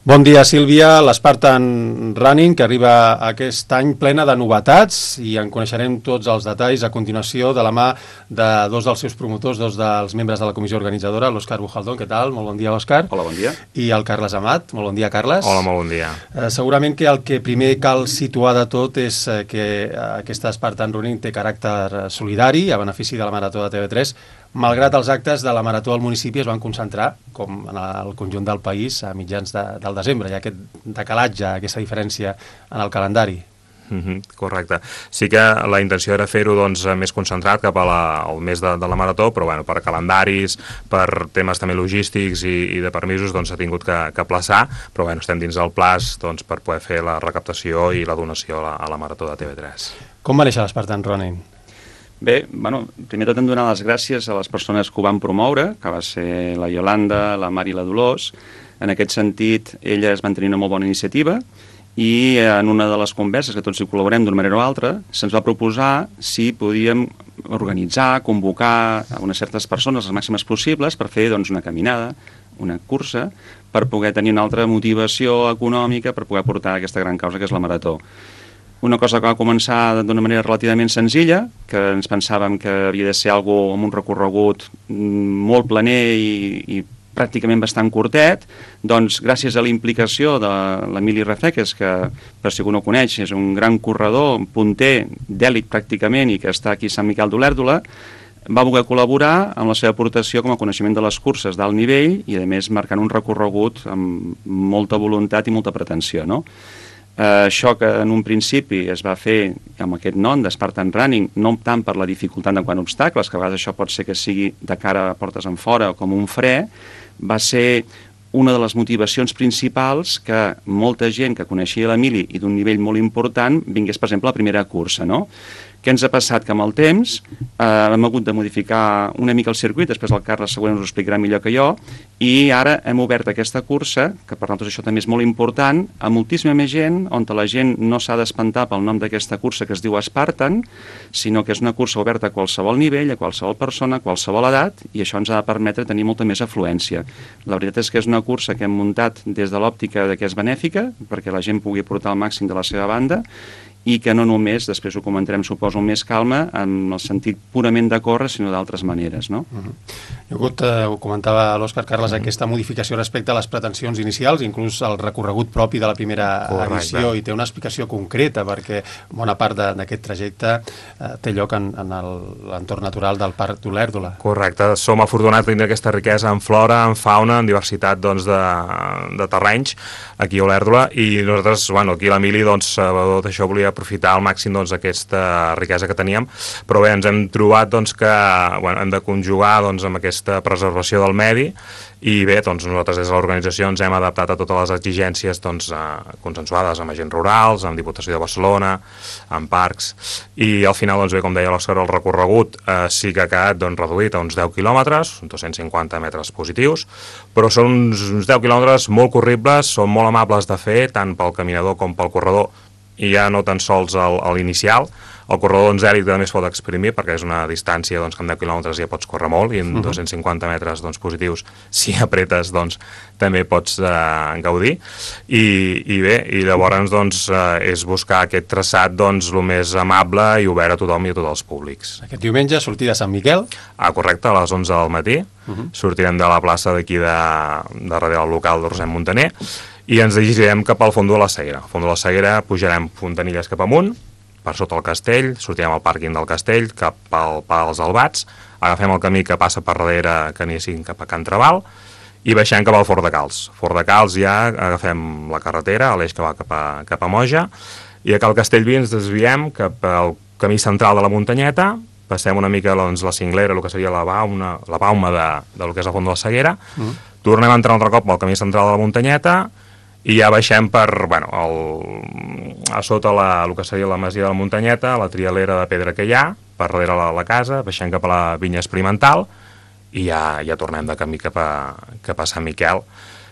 Bon dia, Sílvia. L'Spartan Running, que arriba aquest any plena de novetats, i en coneixerem tots els detalls a continuació de la mà de dos dels seus promotors, dos dels membres de la comissió organitzadora, l'Òscar Bujaldón. Què tal? Molt bon dia, Òscar. Hola, bon dia. I el Carles Amat. Molt bon dia, Carles. Hola, molt bon dia. Segurament que el que primer cal situar de tot és que aquesta Spartan Running té caràcter solidari a benefici de la Marató de TV3, malgrat els actes de la Marató al municipi es van concentrar, com en el conjunt del país, a mitjans del desembre. Hi ha aquest decalatge, aquesta diferència en el calendari. Correcte. Sí que la intenció era fer-ho més concentrat cap al mes de la Marató, però per calendaris, per temes també logístics i de permisos s'ha tingut que aplaçar, però estem dins del plaç per poder fer la recaptació i la donació a la Marató de TV3. Com va néixer l'Spartan Running? Bé, primer tot hem de donar les gràcies a les persones que ho van promoure, que va ser la Iolanda, la Mari i la Dolors. En aquest sentit, elles van tenir una molt bona iniciativa i en una de les converses, que tots hi col·laborem d'una manera o altra, se'ns va proposar si podíem organitzar, convocar a unes certes persones, les màximes possibles, per fer una caminada, una cursa, per poder tenir una altra motivació econòmica per poder portar aquesta gran causa que és la Marató. Una cosa que va començar d'una manera relativament senzilla, que ens pensàvem que havia de ser algo amb un recorregut molt planer i pràcticament bastant curtet, doncs gràcies a la implicació de l'Emili Rafeques, que per si algú no coneix és un gran corredor, un punter d'èlit pràcticament i que està aquí a Sant Miquel d'Olèrdola, va voler col·laborar amb la seva aportació com a coneixement de les curses d'alt nivell i a més marcant un recorregut amb molta voluntat i molta pretensió, no? Això que en un principi es va fer amb aquest nom de Spartan Running, no tant per la dificultat de quant obstacles, que a vegades això pot ser que sigui de cara a portes en fora o com un fre, va ser una de les motivacions principals que molta gent que coneixia l'Emili i d'un nivell molt important vingués, per exemple, a la primera cursa, no? Què ens ha passat? Que amb el temps hem hagut de modificar una mica el circuit, després el Carles segurament us ho explicarà millor que jo, i ara hem obert aquesta cursa, que per nosaltres això també és molt important, a moltíssima més gent, on la gent no s'ha d'espantar pel nom d'aquesta cursa que es diu Spartan, sinó que és una cursa oberta a qualsevol nivell, a qualsevol persona, a qualsevol edat, i això ens ha de permetre tenir molta més afluència. La veritat és que és una cursa que hem muntat des de l'òptica que és benèfica, perquè la gent pugui portar el màxim de la seva banda, i que no només, després ho comentarem, suposo, més calma, en el sentit purament de córrer, sinó d'altres maneres, no? Hi ha hagut, ho comentava l'Òscar, Carles, aquesta modificació respecte a les pretensions inicials, inclús el recorregut propi de la primera edició, i té una explicació concreta, perquè bona part d'aquest trajecte té lloc en l'entorn natural del Parc d'Olèrdola. Correcte, som afortunats de tenir aquesta riquesa en flora, en fauna, en diversitat de terrenys aquí a Olèrdola, i nosaltres, aquí a l'Emili, tot això volia aprofitar al màxim aquesta riquesa que teníem, però bé, ens hem trobat que hem de conjugar amb aquesta preservació del medi, i bé, nosaltres des de l'organització ens hem adaptat a totes les exigències consensuades amb agents rurals, amb Diputació de Barcelona, amb parcs, i al final, bé, com deia l'Òscar, el recorregut sí que ha quedat reduït a uns 10 quilòmetres, 250 metres positius, però són uns 10 quilòmetres molt corribles, són molt amables de fer, tant pel caminador com pel corredor, i ja no tan sols a l'inicial. El corredor d'èlit també es pot exprimir, perquè és una distància que amb 10 quilòmetres ja pots córrer molt, i en 250 metres positius, si apretes, també pots gaudir. I bé, i llavors és buscar aquest traçat el més amable i obert a tothom i a tots els públics. Aquest diumenge, sortida a Sant Miquel. Correcte, a les 11 del matí. Sortirem de la plaça d'aquí de darrere del local de Roser Montaner, i ens dirigirem cap al Fondó de la Seguera. Al Fondó de la Seguera pujarem Fontanilles cap amunt, per sota el castell, sortirem al pàrquing del castell, cap al Pla dels Albats, agafem el camí que passa per darrere que anessin cap a Can Trabal, i baixem cap al Fort de Cals. Fort de Cals ja agafem la carretera, l'eix que va cap a Moja, i a Cal Castellví ens desviem cap al camí central de la muntanyeta, passem una mica la cinglera, el que seria la bauma del que és el Fondó de la Seguera, tornem a entrar un altre cop al camí central de la muntanyeta, i ja baixem per, a sota el que seria la masia de la muntanyeta, la trialera de pedra que hi ha, per darrere la casa, baixem cap a la vinya experimental, i ja tornem de camí cap a Sant Miquel.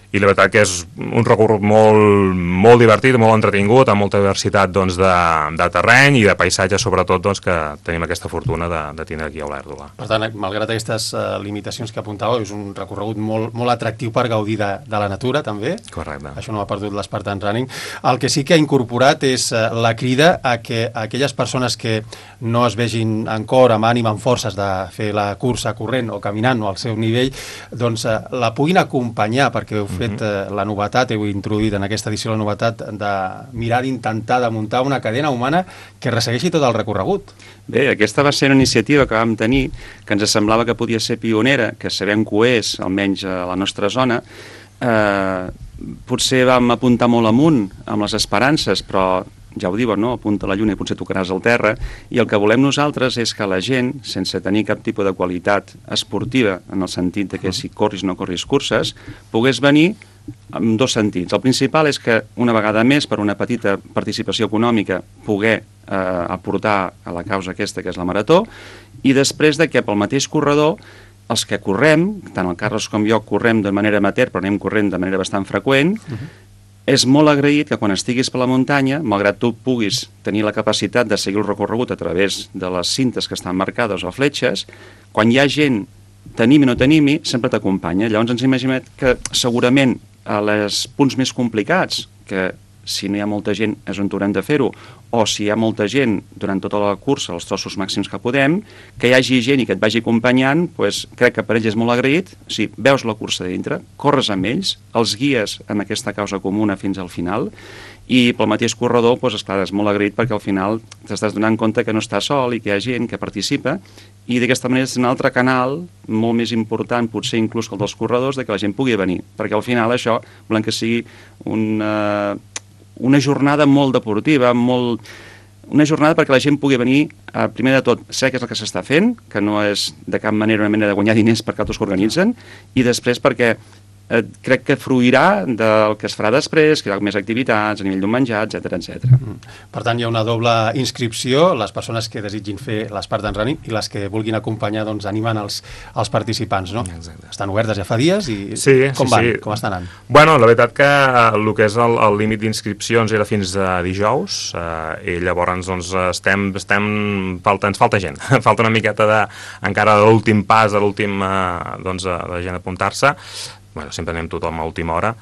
i la veritat que és un recorregut molt divertit, molt entretingut, amb molta diversitat doncs, de terreny i de paisatge, sobretot, doncs, que tenim aquesta fortuna de tindre aquí a Olèrdola. Per tant, malgrat aquestes limitacions que apuntàveu, és un recorregut molt atractiu per gaudir de la natura, també. Correcte. Això no ha perdut l'Spartan Running. El que sí que ha incorporat és la crida a que aquelles persones que no es vegin en cor, amb ànim, amb forces de fer la cursa corrent o caminant o al seu nivell, doncs la puguin acompanyar, perquè heu fet la novetat, heu introduït en aquesta edició la novetat de mirar d'intentar de muntar una cadena humana que ressegueixi tot el recorregut. Bé, aquesta va ser una iniciativa que vam tenir, que ens semblava que podia ser pionera, que sabem que ho és, almenys a la nostra zona. Potser vam apuntar molt amunt amb les esperances, però ja ho diuen, no? Apunta a la lluna i potser tocaràs al terra, i el que volem nosaltres és que la gent, sense tenir cap tipus de qualitat esportiva, en el sentit de que si corris o no corris curses, pogués venir en dos sentits. El principal és que una vegada més, per una petita participació econòmica, poder aportar a la causa aquesta que és la marató, i després de que pel mateix corredor els que correm, tant el Carles com jo correm de manera amateur, però anem corrent de manera bastant freqüent, és molt agraït que quan estiguis per la muntanya, malgrat tu puguis tenir la capacitat de seguir el recorregut a través de les cintes que estan marcades o fletxes, quan hi ha gent, t'animi o no t'animi, sempre t'acompanya. Llavors ens imaginem que segurament a els punts més complicats, que si no hi ha molta gent és on haurem de fer-ho, o si hi ha molta gent durant tota la cursa, els trossos màxims que podem, que hi hagi gent i que et vagi acompanyant, doncs crec que per ells és molt agraït. O sigui, veus la cursa dintre, corres amb ells, els guies en aquesta causa comuna fins al final, i pel mateix corredor, doncs, esclar, és molt agraït perquè al final t'estàs donant compte que no estàs sol i que hi ha gent que participa, i d'aquesta manera és un altre canal molt més important, potser inclús que el dels corredors, de que la gent pugui venir, perquè al final això volem que sigui una jornada molt deportiva, una jornada perquè la gent pugui venir, primer de tot, saber què és el que s'està fent, que no és de cap manera una manera de guanyar diners per altres que organitzen, i després perquè crec que fruirà del que es farà després, que hi ha més activitats a nivell d'un menjar, etc. Per tant, hi ha una doble inscripció, les persones que desitgin fer l'Spartan Running i les que vulguin acompanyar, doncs, animant els participants, no? Exacte. Estan obertes ja fa dies i com van? Com estan anant? Bueno, la veritat que el que és el límit d'inscripcions era fins a dijous, i llavors doncs, ens falta gent, falta una miqueta encara de l'últim pas, de l'últim doncs, de gent apuntar-se. Bueno, sempre anem tothom a última hora,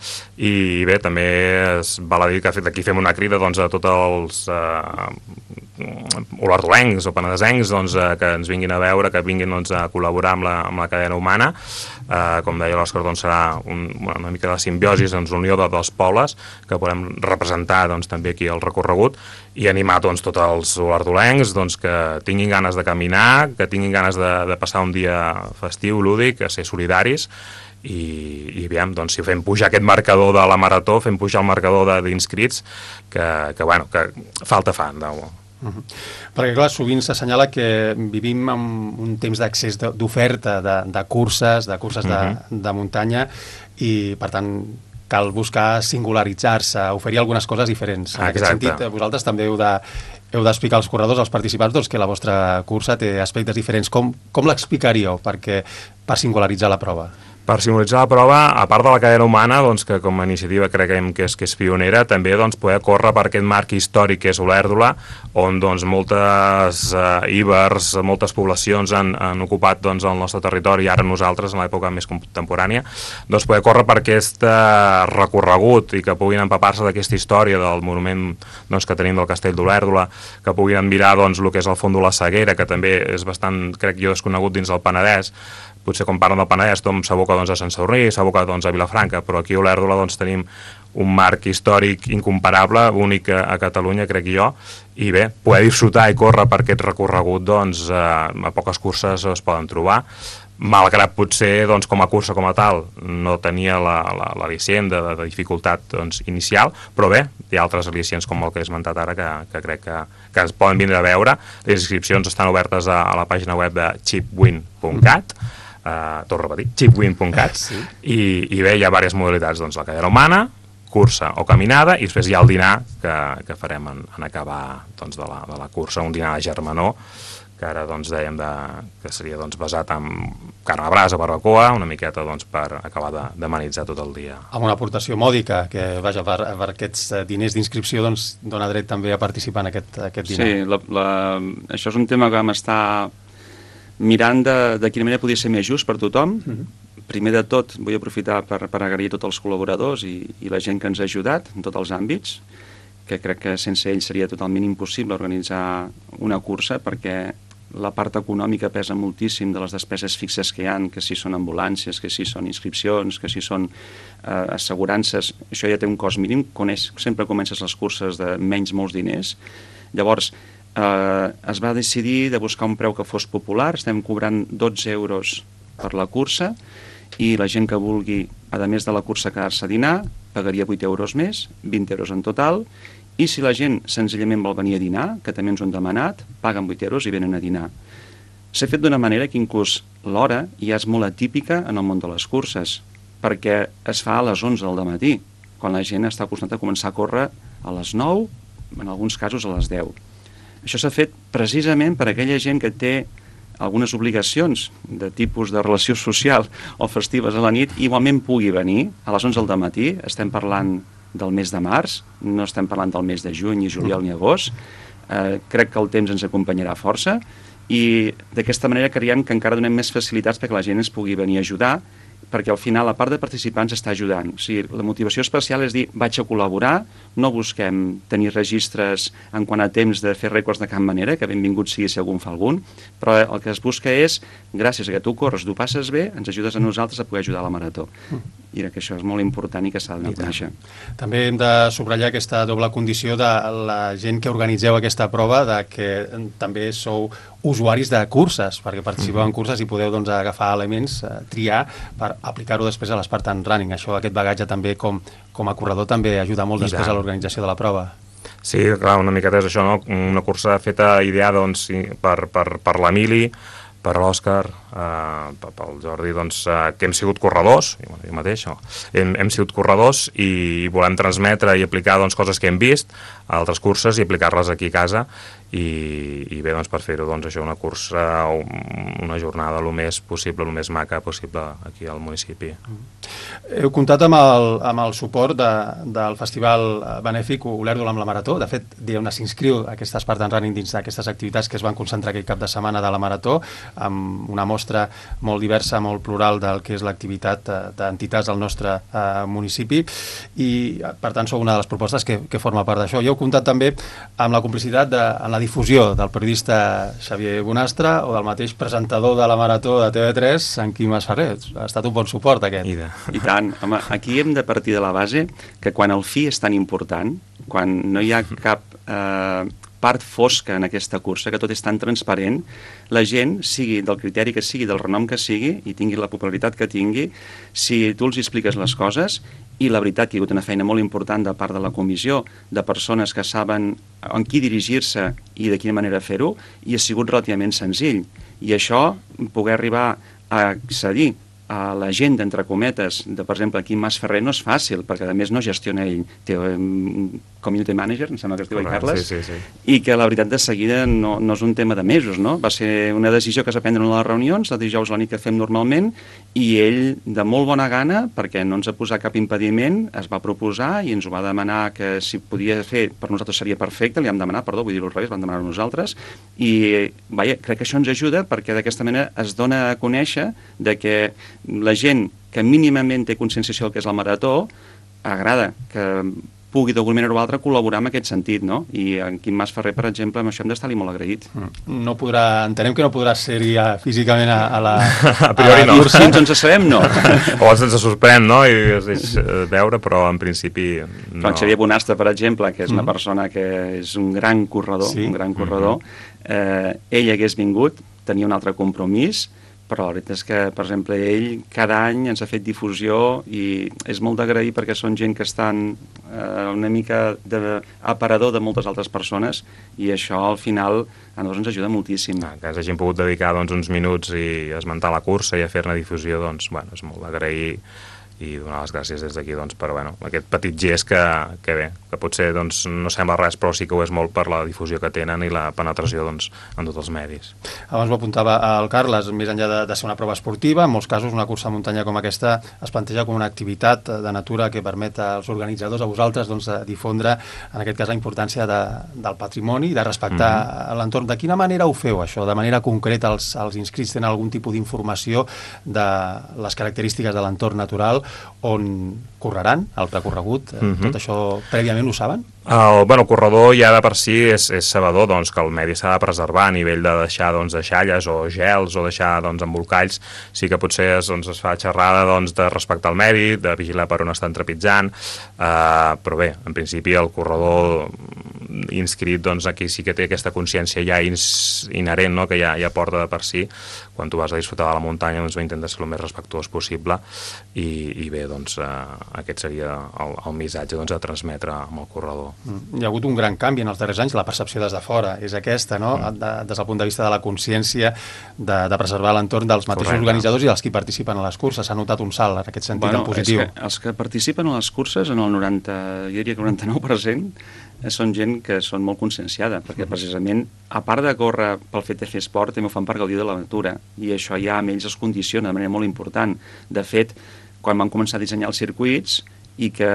i bé, també es val a dir que aquí fem una crida doncs, a tots els olardolencs o penedesencs doncs, que ens vinguin a veure, que vinguin doncs, a col·laborar amb la cadena humana. Com deia l'Òscar, doncs, serà una mica de simbiosi, doncs, unió de dos pobles que podem representar doncs, també aquí el recorregut, i animar doncs, tots els olardolencs doncs, que tinguin ganes de caminar, que tinguin ganes de passar un dia festiu, lúdic, a ser solidaris, i aviam, doncs, si fem pujar aquest marcador de la marató, fem pujar el marcador d'inscrits, que falta fan. Perquè, clar, sovint s'assenyala que vivim en un temps d'accés d'oferta de curses, de muntanya, i, per tant, cal buscar singularitzar-se, oferir algunes coses diferents. En aquest sentit, vosaltres també heu d'explicar als corredors, als participants, doncs, que la vostra cursa té aspectes diferents. Com l'explicaríeu per singularitzar la prova? Per simbolitzar la prova, a part de la cadena humana, doncs, que com a iniciativa creiem que és pionera, també doncs, poder córrer per aquest marc històric que és Olèrdola, on doncs, moltes íbers, moltes poblacions han ocupat doncs, el nostre territori, i ara nosaltres, en l'època més contemporània, doncs, poder córrer per aquest recorregut i que puguin empapar-se d'aquesta història del monument doncs, que tenim del castell d'Olèrdola, que puguin admirar doncs, el que és el Font de la Seguera, que també és bastant, crec jo, desconegut dins del Penedès. Potser quan parlen del Penedès tothom s'aboca doncs, a Sant Sadurní, s'aboca doncs, a Vilafranca, però aquí a Olèrdola doncs, tenim un marc històric incomparable, únic a Catalunya, crec jo, i bé, poder disfrutar i córrer per aquest recorregut, doncs, a poques curses es poden trobar, malgrat potser doncs, com a cursa com a tal no tenia l'al·licient de dificultat doncs, inicial, però bé, hi ha altres al·licients com el que he esmentat ara que crec que ens poden vindre a veure. Les inscripcions estan obertes a la pàgina web de chipwin.cat, torno a repetir, chipwin.cat, i bé, hi ha diverses modalitats, doncs, la cadena humana, cursa o caminada, i després hi ha el dinar que farem en acabar doncs, de la cursa, un dinar de germanor, que ara doncs, dèiem que seria doncs, basat en carn a brasa, barbacoa, una miqueta doncs, per acabar d'amenitzar tot el dia. Amb una aportació mòdica, que vaja, per aquests diners d'inscripció doncs, dona dret també a participar en aquest dinar. Sí, això és un tema que vam estar mirant de quina manera podia ser més just per tothom. Primer de tot, vull aprofitar per agrair tots els col·laboradors i la gent que ens ha ajudat en tots els àmbits, que crec que sense ells seria totalment impossible organitzar una cursa, perquè la part econòmica pesa moltíssim de les despeses fixes que hi ha, que si són ambulàncies, que si són inscripcions, que si són assegurances, això ja té un cost mínim, sempre comences les curses de menys molts diners. Llavors, es va decidir de buscar un preu que fos popular, estem cobrant 12 euros per la cursa, i la gent que vulgui, a més de la cursa, quedar-se a dinar, pagaria 8 euros més, 20 euros en total, i si la gent senzillament vol venir a dinar, que també ens ho han demanat, paguen 8 euros i venen a dinar. S'ha fet d'una manera que inclús l'hora ja és molt atípica en el món de les curses, perquè es fa a les 11 del matí, quan la gent està acostumada a començar a córrer a les 9, en alguns casos a les 10. Això s'ha fet precisament per a aquella gent que té algunes obligacions de tipus de relació social o festives a la nit, igualment pugui venir a les 11 del matí, estem parlant del mes de març, no estem parlant del mes de juny, ni juliol, ni agost. Crec que el temps ens acompanyarà força i d'aquesta manera creiem que encara donem més facilitats perquè la gent ens pugui venir a ajudar, perquè al final la part de participants està ajudant. O sigui, la motivació especial és dir, vaig a col·laborar, no busquem tenir registres en quant a temps de fer rècords de cap manera, que benvingut sigui si algun fa algun, però el que es busca és, gràcies a que tu corres, tu passes bé, ens ajudes a nosaltres a poder ajudar a la marató. I que això és molt important i que s'ha de conèixer. També hem de subratllar aquesta doble condició de la gent que organitzeu aquesta prova, de que també sou usuaris de curses, perquè participeu en curses i podeu doncs, agafar elements, triar, per aplicar-ho després a l'Spartan Running. Això, aquest bagatge també com a corredor també ajuda molt després a l'organització de la prova. Sí, clar, una miqueta és això, no? Una cursa feta ideada doncs, per l'Emili, per l'Òscar, pel Jordi, doncs, que hem sigut corredors, jo mateix, hem sigut corredors i volem transmetre i aplicar doncs, coses que hem vist a altres curses i aplicar-les aquí a casa i bé, doncs, per fer-ho, doncs, això, una cursa, una jornada el més possible, el més maca possible aquí al municipi. Heu comptat amb el suport del Festival Benèfic Olèrdola amb la Marató. De fet, s'inscriu aquesta Spartan Running dins d'aquestes activitats que es van concentrar aquell cap de setmana de la Marató, amb una mostra molt diversa, molt plural del que és l'activitat d'entitats del nostre municipi i, per tant, sou una de les propostes que forma part d'això. I heu comptat també amb la complicitat en la difusió del periodista Xavier Bonastre o del mateix presentador de la Marató de TV3, en Quim Masferrer. Ha estat un bon suport, aquest. I tant. Home, aquí hem de partir de la base que quan el fi és tan important, quan no hi ha cap part fosca en aquesta cursa, que tot és tan transparent, la gent, sigui del criteri que sigui, del renom que sigui, i tingui la popularitat que tingui, si tu els expliques les coses, i la veritat que hi ha hagut una feina molt important de part de la comissió, de persones que saben en qui dirigir-se i de quina manera fer-ho, i ha sigut relativament senzill. I això, poder arribar a accedir a la gent, entre cometes, de, per exemple, Quim Masferrer no és fàcil, perquè a més no gestiona ell, té un community manager, em sembla que es diu Carles, sí. I que la veritat de seguida no és un tema de mesos, no? Va ser una decisió que es va prendre en les reunions, el dijous a la nit que fem normalment, i ell, de molt bona gana, perquè no ens ha posat cap impediment, es va proposar i ens ho va demanar que si podia fer, per nosaltres seria perfecte, li vam demanar, vull dir-ho al revés, vam demanar a nosaltres, i vaja, crec que això ens ajuda perquè d'aquesta manera es dona a conèixer de que la gent que mínimament té conscienciació del que és la marató agrada que pugui d'alguna manera o altra col·laborar en aquest sentit, no? I en Quim Masferrer, per exemple, amb això hem d'estar-li molt agraït. No podrà, entenem que no podrà ser-hi físicament a la... A priori no. Si ens sabem, no. O ens sorprèn, no? I es deixa veure, però en principi no. Però en Xavier Bonastre, per exemple, que és una persona que és un gran corredor, ell hagués vingut, tenia un altre compromís, però la veritat és que, per exemple, ell cada any ens ha fet difusió i és molt d'agrair perquè són gent que estan una mica d'aparador de moltes altres persones i això al final a nosaltres ens ajuda moltíssim. Que ens hagin pogut dedicar uns minuts i esmentar la cursa i a fer-ne difusió, doncs, bueno, és molt d'agrair i donar les gràcies des d'aquí doncs, per aquest petit gest que bé, que potser doncs, no sembla res, però sí que ho és molt per la difusió que tenen i la penetració doncs, en tots els medis. Abans ho apuntava el Carles, més enllà de ser una prova esportiva, en molts casos una cursa a muntanya com aquesta es planteja com una activitat de natura que permet als organitzadors, a vosaltres, doncs, difondre, en aquest cas, la importància del patrimoni i de respectar l'entorn. De quina manera ho feu, això? De manera concreta, els inscrits tenen algun tipus d'informació de les característiques de l'entorn natural on correran el recorregut? Tot això prèviament ho saben? El corredor ja de per si és sabedor doncs, que el medi s'ha de preservar a nivell de deixar doncs, deixalles o gels o deixar doncs, embolcalls. Sí que potser es fa xerrada doncs, de respectar el medi, de vigilar per on estan trepitjant, però bé, en principi el corredor inscrit, doncs aquí sí que té aquesta consciència ja inherent, no? Que ja porta de per si. Quan tu vas a disfrutar de la muntanya doncs intentes ser el més respectuós possible i bé, doncs aquest seria el missatge doncs, a transmetre amb el corredor. Hi ha hagut un gran canvi en els darrers anys, la percepció des de fora és aquesta, no? Des del punt de vista de la consciència de preservar l'entorn dels mateixos organitzadors i dels qui participen a les curses. S'ha notat un salt en aquest sentit, en positiu. Els que participen a les curses, en el 99% són gent que són molt conscienciada, perquè precisament, a part de córrer pel fet de fer esport, també ho fan per gaudir de la natura, i això ja amb ells es condiciona de manera molt important. De fet, quan vam començar a dissenyar els circuits i que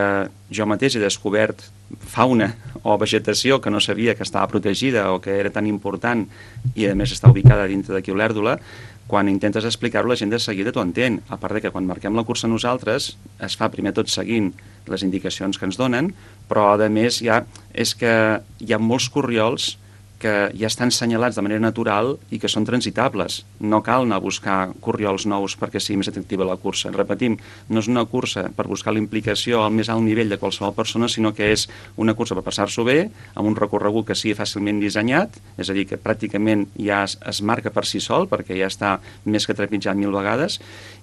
jo mateix he descobert fauna o vegetació que no sabia que estava protegida o que era tan important i a més està ubicada dintre d'aquí Olèrdola, quan intentes explicar-ho la gent de seguida t'ho entén, a part de que quan marquem la cursa nosaltres es fa primer tot seguint les indicacions que ens donen, però a més és que hi ha molts corriols que ja estan senyalats de manera natural i que són transitables. No cal anar a buscar corriols nous perquè sigui més atractiva la cursa. Repetim, no és una cursa per buscar la implicació al més alt nivell de qualsevol persona, sinó que és una cursa per passar-s'ho bé, amb un recorregut que sigui fàcilment dissenyat, és a dir, que pràcticament ja es marca per si sol, perquè ja està més que trepitjat 1000 vegades,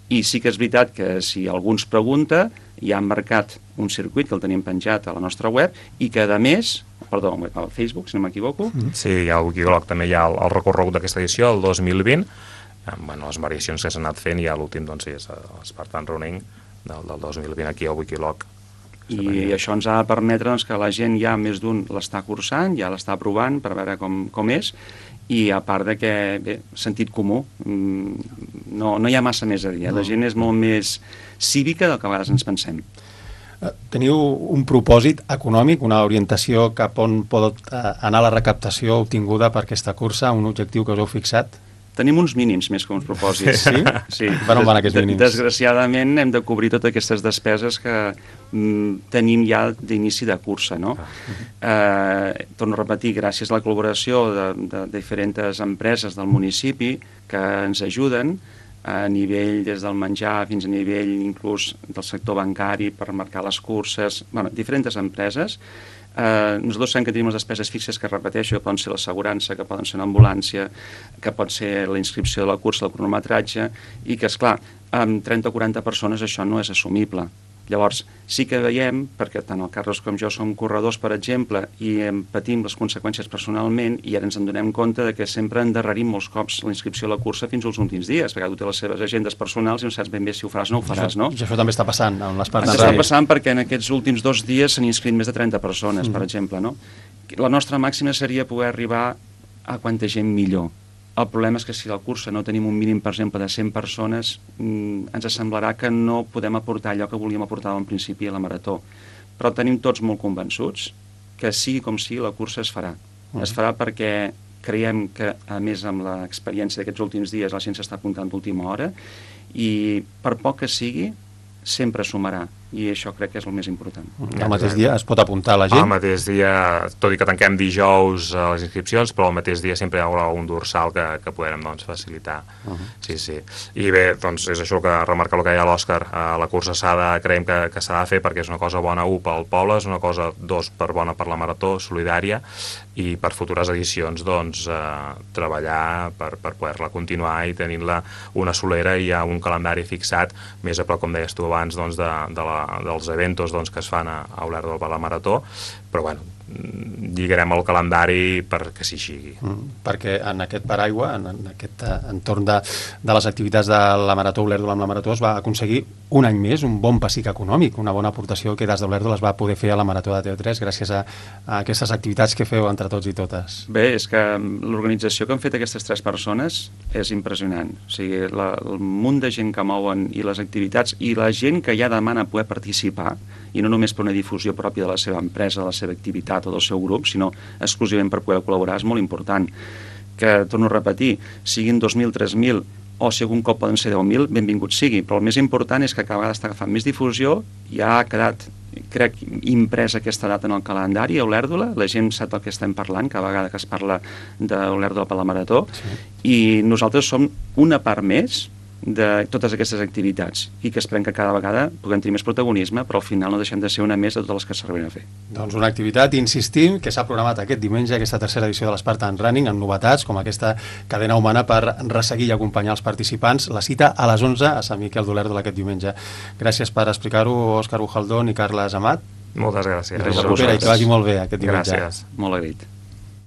i sí que és veritat que si algú ens pregunta, ja han marcat un circuit que el tenim penjat a la nostra web i que, a més, al Facebook, si no m'equivoco. Sí, al Wikiloc també hi ha el recorregut d'aquesta edició, el 2020, amb les variacions que s'han anat fent, i l'últim doncs, és l'Spartan Running del 2020 aquí al Wikiloc. I això ens ha de permetre doncs, que la gent ja més d'un l'està cursant, ja l'està provant per veure com és, i a part de que, bé, sentit comú, no hi ha massa més a dir. La gent és molt més cívica del que a vegades ens pensem. Teniu un propòsit econòmic, una orientació cap on pot anar la recaptació obtinguda per aquesta cursa, un objectiu que us heu fixat? Tenim uns mínims més que uns propòsits. Sí? Per on van aquests mínims? Desgraciadament hem de cobrir totes aquestes despeses que tenim ja d'inici de cursa, no? Torno a repetir, gràcies a la col·laboració de diferents empreses del municipi que ens ajuden a nivell des del menjar fins a nivell inclús del sector bancari per marcar les curses, diferents empreses. Nosaltres sabem que tenim les despeses fixes que, repeteixo, que poden ser l'assegurança, que poden ser l'ambulància, que pot ser la inscripció de la cursa, el cronometratge, i que, esclar, amb 30 o 40 persones això no és assumible. Llavors, sí que veiem, perquè tant el Carles com jo som corredors, per exemple, i patim les conseqüències personalment, i ara ens en donem compte de que sempre endarrerim molts cops la inscripció a la cursa fins als últims dies, perquè tu té les seves agendes personals i no saps ben bé si ho faràs o no ho faràs, no? I això també està passant en l'Spartan Running. Està passant perquè en aquests últims 2 dies s'han inscrit més de 30 persones, per exemple, no? La nostra màxima seria poder arribar a quanta gent millor. El problema és que si a la cursa no tenim un mínim, per exemple, de 100 persones, ens semblarà que no podem aportar allò que volíem aportar en principi a la marató. Però tenim tots molt convençuts que sigui com sigui, la cursa es farà. Es farà perquè creiem que, a més, amb l'experiència d'aquests últims dies, la gent s'està apuntant d'última hora i, per poc que sigui, sempre sumarà, i això crec que és el més important. El mateix dia es pot apuntar la gent? El mateix dia, tot i que tanquem dijous les inscripcions, però el mateix dia sempre hi haurà un dorsal que podrem facilitar. Sí. I bé, doncs és això que remarca el que deia l'Òscar, la cursa creiem que s'ha de fer perquè és una cosa bona, pel poble, és una cosa, bona per la marató solidària, i per futures edicions treballar per poder-la continuar i tenint-la una solera i un calendari fixat més a prop, com deies tu abans, de la dels eventos doncs, que es fan a Olèrdola per la Marató, però bueno, lligarem el calendari perquè s'hi sigui. Perquè en aquest paraigua, en aquest entorn de les activitats de la Marató Olèrdola amb la Marató es va aconseguir un any més un bon pessic econòmic, una bona aportació que des d'Olèrdola es va poder fer a la Marató de TV3 gràcies a aquestes activitats que feu entre tots i totes. Bé, és que l'organització que han fet aquestes 3 persones és impressionant. O sigui, el munt de gent que mouen i les activitats i la gent que ja demana poder participar, i no només per una difusió pròpia de la seva empresa, de la seva activitat o del seu grup, sinó exclusivament per poder col·laborar, és molt important. Que, torno a repetir, siguin 2.000, 3.000, o si algun cop poden ser 10.000, benvingut sigui, però el més important és que cada vegada està agafant més difusió, ja ha quedat, crec, impresa aquesta data en el calendari a Olèrdola, la gent sap del que estem parlant, cada vegada que es parla d'Olèrdola per la Marató, i nosaltres som una part més de totes aquestes activitats i que esperem que cada vegada puguem tenir més protagonisme, però al final no deixem de ser una més de totes les que serveixen a fer. Doncs una activitat, insistim, que s'ha programat aquest diumenge, aquesta tercera edició de l'Spartan Running, amb novetats com aquesta cadena humana per resseguir i acompanyar els participants. La cita a les 11 a Sant Miquel d'Olèrdola aquest diumenge. Gràcies per explicar-ho, Òscar Bujaldón i Carles Amat. Moltes gràcies. I que vagi molt bé aquest diumenge. Gràcies. Molt agraït.